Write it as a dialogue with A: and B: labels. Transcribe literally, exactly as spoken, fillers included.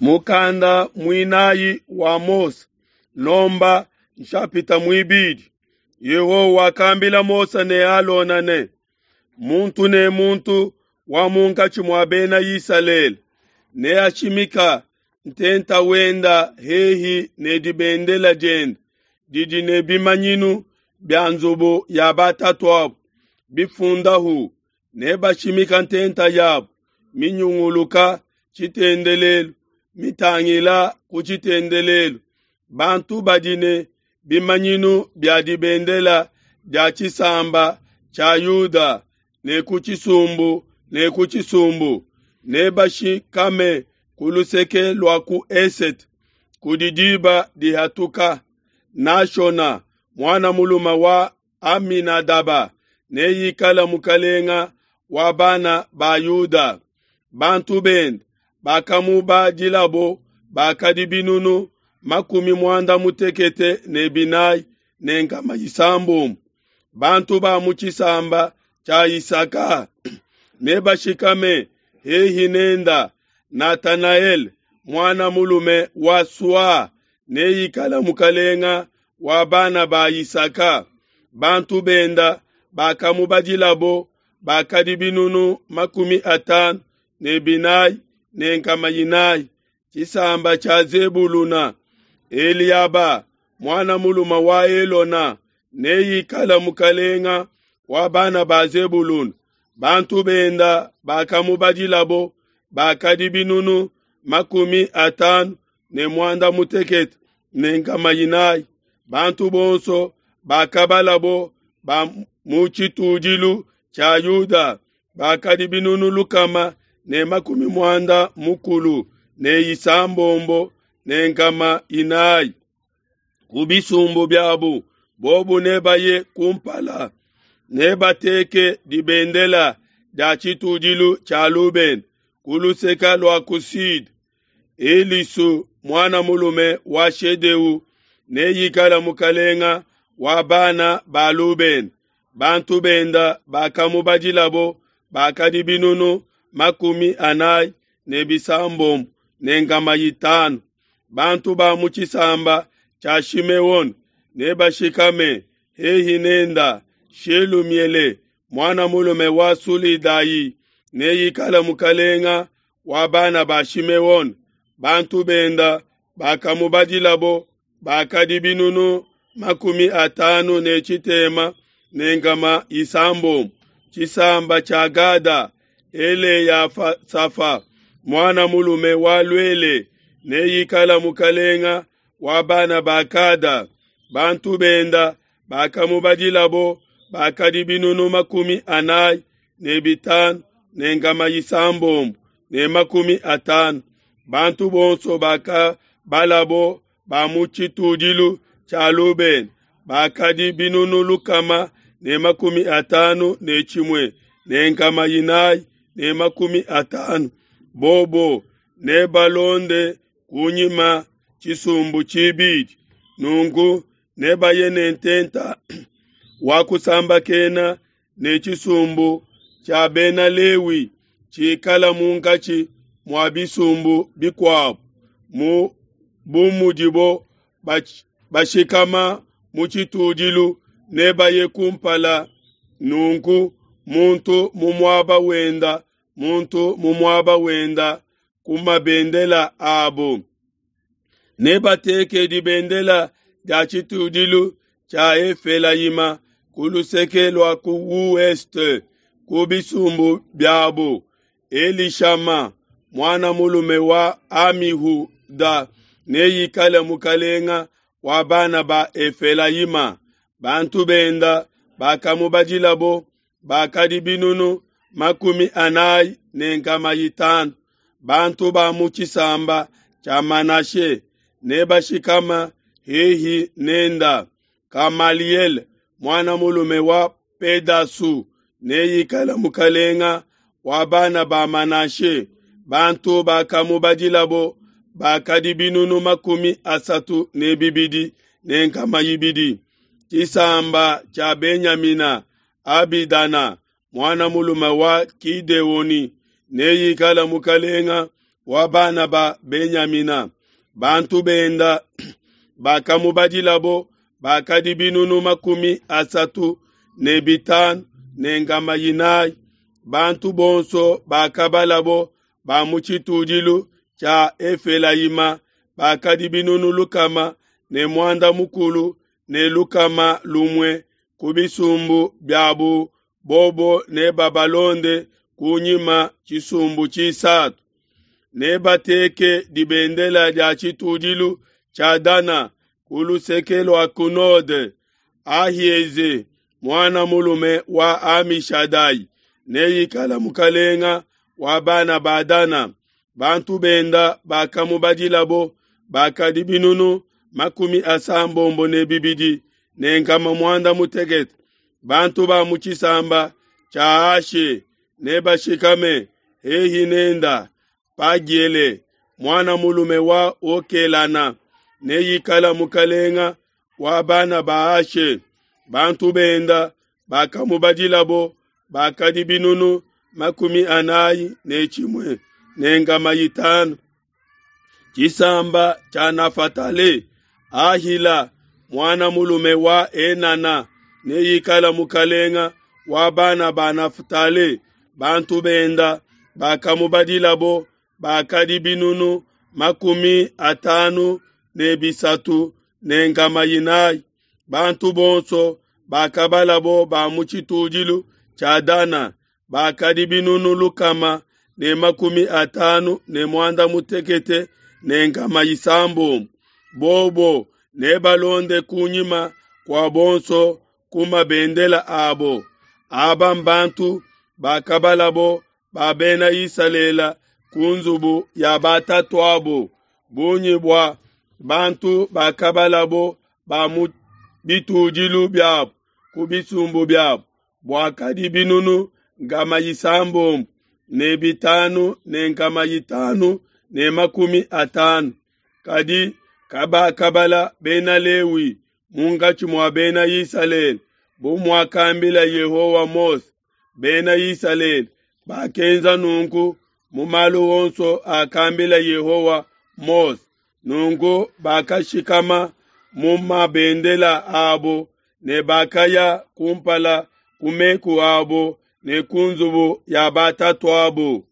A: Mukanda muinayi wa Mose, Nomba nshapita muibidi. Yehowa wakambila Mose ne Alona ne, muntu ne muntu wa munkatshi mua bena Isalele neashimika ntenta wenda hehi ne dibendela diende didi ne bimanyinu bia nzubu ya batatuabu bifundahu, nebashimika ntenta yabu minyunguluka tshitendelelu mitangila ku tshitendelelu. Bantu badi ne bimanyinu bia dibendela dia tshisamba tshia Yuda ne ku tshisumbu ne ku tshisumbu nebashikame ku luseke lua ku esete kudi diba dihatuka. Nashona muana mulume wa Aminadaba neikale mukalenga wa bana ba Yuda. Bantu bende bakamubadilabo bakadi binunu makumi muanda mutekete ne binayi ne nkama isambombo. Bantu ba mu tshisamba tshia Isaka nebashikame hehi nenda. Natanaele muana mulume wa Sua neikale mukalenga wa bana ba Isaka. Bantu benda bakamubadilabo bakadi binunu makumi atanu ne binayi ne nkama inayi. Tshisamba tshia Zebuluna, Eliaba muana mulume wa Elona neikale mukalenga wa bana ba Zebuluna. Bantu benda bakamubadilabo bakadi binunu makumi atanu ne muanda mutekete ne nkama inayi. Bantu bonso bakabalabo ba mu tshitudilu tshia Yuda bakadi binunu lukama ne makumi muanda mukulu ne isambombo ne nkama inayi. Ku bisumbu biabu bobu nebaye kumpala, nebateke dibendela dia tshitudilu tshia Lubene ku luseke lua ku sud. Elisu muana mulume wa Shedeu neikale mukalenga wa bana ba Lubene. Bantu benda bakamubadilabo bakadi binunu makumi anayi ne bisambombo ne nkama itanu. Bantu ba mu tshisamba tshia Shimeone nebashikame hehi nenda. Shelumiele muana mulume wa Sulidayi neikale mukalenga wa bana ba Shimeone. Bantu benda bakamubadilabo bakadi binunu makumi atanu ne tshitema ne nkama isambombo. Tshisamba tshia Gada, Eleyasafa muana mulume wa Luele neikale mukalenga wa bana ba Gada. Bantu benda bakamubadilabo bakadi binunu makumi anayi ne bitanu ne nkama isambombo ne makumi atanu. Bantu bonso bakabalabo ba mu tshitudilu tshia Lubene bakadi binunu lukama ne makumi atanu ne tshimue ne nkama inayi ne makumi atanu. Bobo nebalonde kunyima tshisumbu tshibidi. Nunku nebaye ne ntenta wa kusambakena ne tshisumbu tshia bena Lewi tshikala munkatshi mua bisumbu bikuabu, mu bu mudibo bashikama mu tshitudilu nebaye kumpala. Nunku muntu mu muaba wenda, muntu mu muaba wenda ku mabendela abo. Nebateke dibendela dia tshitudilu tshia Efelayima ku luseke lua ku ouest ku bisumbu biabo. Elishama muana mulume wa Amihuda neikale mukalenga wa bana ba Efelayima. Bantu benda bakamubadilabo bakadi binunu makumi anayi ne nkama itanu. Bantu ba mu tshisamba tshia Manashe nebashikama hehi nenda. Kamaliele muana mulume wa Pedasu neikale mukalenga wa bana ba Manashe. Bantu bakamubadilabo bakadi binunu makumi asatu ne bibidi ne nkama ibidi. Tshisamba tshia Benyamina, Abidana muana mulume wa Kideoni neikale mukalenga wa bana ba Benyamina. Bantu benda bakamubadilabo bakadi binunu makumi asatu ne bitanu ne nkama inayi. Bantu bonso bakabalabo ba mu tshitudilu tshia Efelayima bakadi binunu lukama ne muanda mukulu ne lukama lumue ku bisumbu biabu bobo nebabalonde kunyima tshisumbu tshisatu. Nebateke dibendela dia tshitudilu tshia Dana ku luseke lua ku node. Ahieze muana mulume wa Amishadai neikala mukalenga wa bana ba Dana. Bantu benda bakamubadilabo bakadi binunu makumi asambombo ne bibidi ne nkama muanda mutekete. Bantu ba mu tshisamba tshia Ashe nebashikame hehi nenda. Pagiele muana mulume wa Okelana neikala mukalenga wa bana ba Ashe. Bantu benda bakamubadilabo bakadi binunu makumi anayi ne tshimue ne nkama itanu. Tshisamba tshia Nafatale, Ahila muana mulume wa Enana neikala mukalenga wa bana ba Naftale. Bantu benda bakamubadilabo bakadi binunu makumi atanu ne bisatu ne nkama inayi. Bantu bonso bakabalabo ba mu tshitudilu tshia Dana bakadi binunu lukama ne makumi atanu ne muanda mutekete ne nkama isambombo. Bobo nebalonde kunyima kua bonso ku mabendela abo. Aba mbantu bakabalabo ba bena Isalele ku nzubu ya batatuabo. Bungi bua bantu bakabalabo ba mu bitudilu biabo ku bisumbu biabo buakadi binunu nkama isambombo ne bitanu ne nkama itanu ne makumi atanu. Kadi kabakabala bena Lewi munkatshi mua bena Isalele bu muakambila Yehowa Mose. Bena Isalele bakenza nunku mu malu onso akambila Yehowa Mose. Nunku bakashikama mu mabendela abo ne bakaya kumpala ku meku abo ne ku nzubu ya batatuabo.